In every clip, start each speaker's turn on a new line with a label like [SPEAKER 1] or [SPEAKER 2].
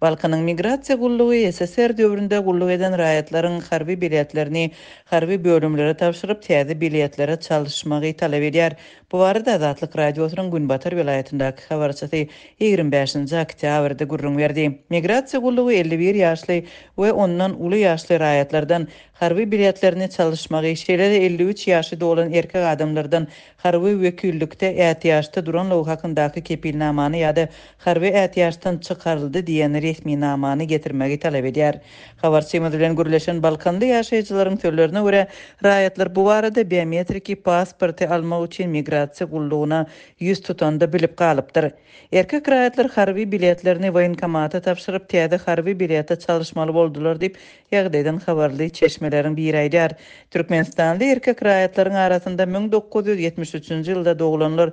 [SPEAKER 1] Balkanyň migrasiýa gullugy ssr döwründe gulluk eden raýatlaryň harby biletlerini harby bölümlere tabşyryp, täze biletlere çalyşmagy talap edýär. Bu barada Azatlyk Radiosynyň günbatar welaýatyndaky habarçysy 25-nji oktýabrda gürrüň berdi. Migrasiýa gullugy 51 ýaşly we ondan uly ýaşly raýatlardan harby biletlerini çalyşmagy, şeýle-de 53 ýaşy dolan erkek adamlardan harby wekillikde ätiýaçda duranlygy hakyndaky kepilnamany ýa-da harby ätiýaçdan çykaryldy diýen resminamany getirmegi talap edýär. Habarçymyz bilen gürleşen balkanly ýaşaýjylaryň sözlerine görä, raýatlar bu barada biometriki pasporty almak üçin migrasiýa gullugyna ýüz tutanda bilip galypdyr. Erkek raýatlar harby biletlerini woýenkomata tabşyryp, täze harby bilete çalyşmaly boldular diýip, Ýagdaýdan habarly çeşmeleriň biri aýdýar. Türkmenistanly erkek raýatlaryň arasynda 1973-nji ýylda doglanlar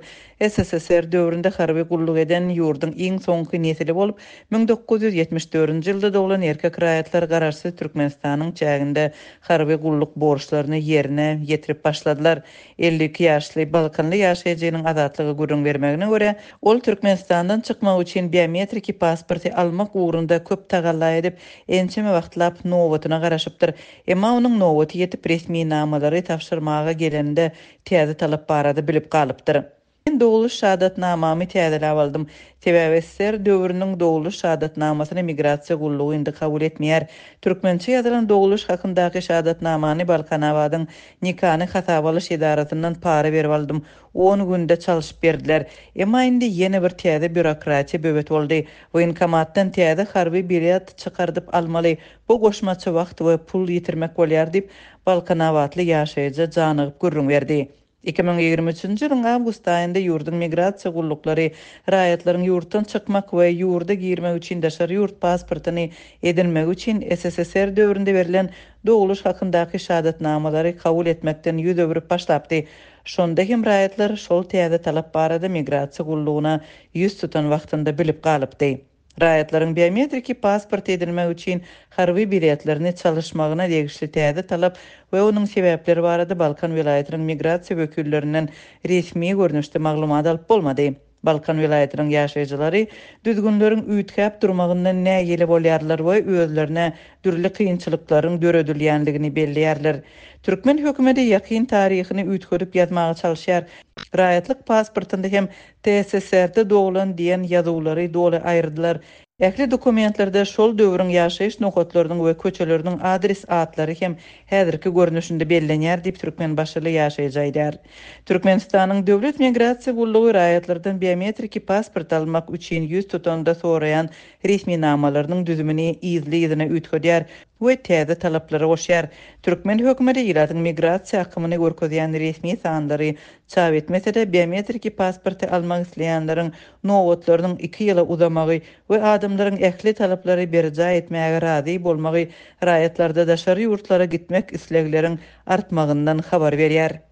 [SPEAKER 1] SSSR döwründe harby gulluk eden ýurduň iň soňky nesili bolup, 1974-nji ýylda doglan erkek raýatlar garaşsyz Türkmenistanyň çäginde harby gulluk borçlaryny ýerine ýetirip başladylar. 52 ýaşly balkanly ýaşaýjynyň Azatlyga gürrüň bermegine görä, ol Türkmenistandan çykmak üçin biometriki pasporty almak ugrunda köp tagalla edip, ençeme wagtlap nobatyna garaşypdyr. Emma onuň nobaty ýetip, resminamalary tabşyrmaga geleninde täze talap barada bilip galypdyr. Men dogluş şahadatnamamy täzeläp aldym. Sebäbi ssr döwrüniň dogluş şahadatnamasyny migrasiýa gullugy indi kabul etmeýär. Türkmençe ýazylan dogluş hakyndaky şahadatnamany Balkanabadyň nikany hasaba alyş edarasyndan para berip aldym. On günde çalşyp berdiler. Emma indi ýene bir täze býurokratiýa böwet boldy. Woýenkomatdan täze harby bilet çykardyp almaly. Bu goşmaça wagt we pul ýitirmek bolýar diýip, balkanabatly ýaşaýjy janygyp gürrüň berdi. 2023-nji ýylyň awgust aýynda ýurduň migrasiýa gulluklary raýatlaryň ýurtdan çykmak we ýurda girmek üçin daşary ýurt pasportyny edinmegi üçin SSSR döwründe berlen dogluş hakyndaky şahadatnamalary kabul etmekden ýüz öwrüp başlapdy. Şonda hem raýatlar şol täze talap barada migrasiýa gullugyna ýüz tutan wagtynda bilip galypdy. Raýatlaryň biometriki pasport edinmek üçin harby biletlerini çalyşmagyna degişli täze talap we onuň sebäpleri barada Balkan welaýatynyň migrasiýa wekillerinden resmi görnüşde maglumat alyp bolmady. Balkan welaýatynyň ýaşaýjylary düzgünleriň üýtgäp durmagyndan nägile bolýarlar we özlerine dürli kynçylyklaryň döredilýändigini belleýärler. Türkmen hökümeti ýakyn taryhyny üýtgedip ýazmaga çalyşýar. Raýatlyk pasportynda hem TSSR-de doglan diýen ýazuwlary doly aýyrdylar. Ähli dokumentlerde şol döwrüň ýaşaýyş nokatlarynyň we köçeleriniň adres atlary hem häzirki görnüşinde bellenýär diýip, türkmenbaşyly ýaşaýjy aýdýar. Türkmenistanyň Döwlet migrasiýa gullugy raýatlardan biometriki pasport almak üçin ýüz tutanda soraýan resminamalarynyň düzümini yzly-yzyna üýtgedýär we täze talaplary goşýar. Türkmen hökümeti ilatyň migrasiýa akymyny görkezýän resmi sanlary çap etmese-de, biometriki pasporty almak isleýänleriň nobatlarynyň iki ýyla uzamagy we adamlaryň ähli talaplary berjaý etmäge razy bolmagy raýatlarda daşary ýurtlara gitmek islegleriň artmagyndan habar berýär.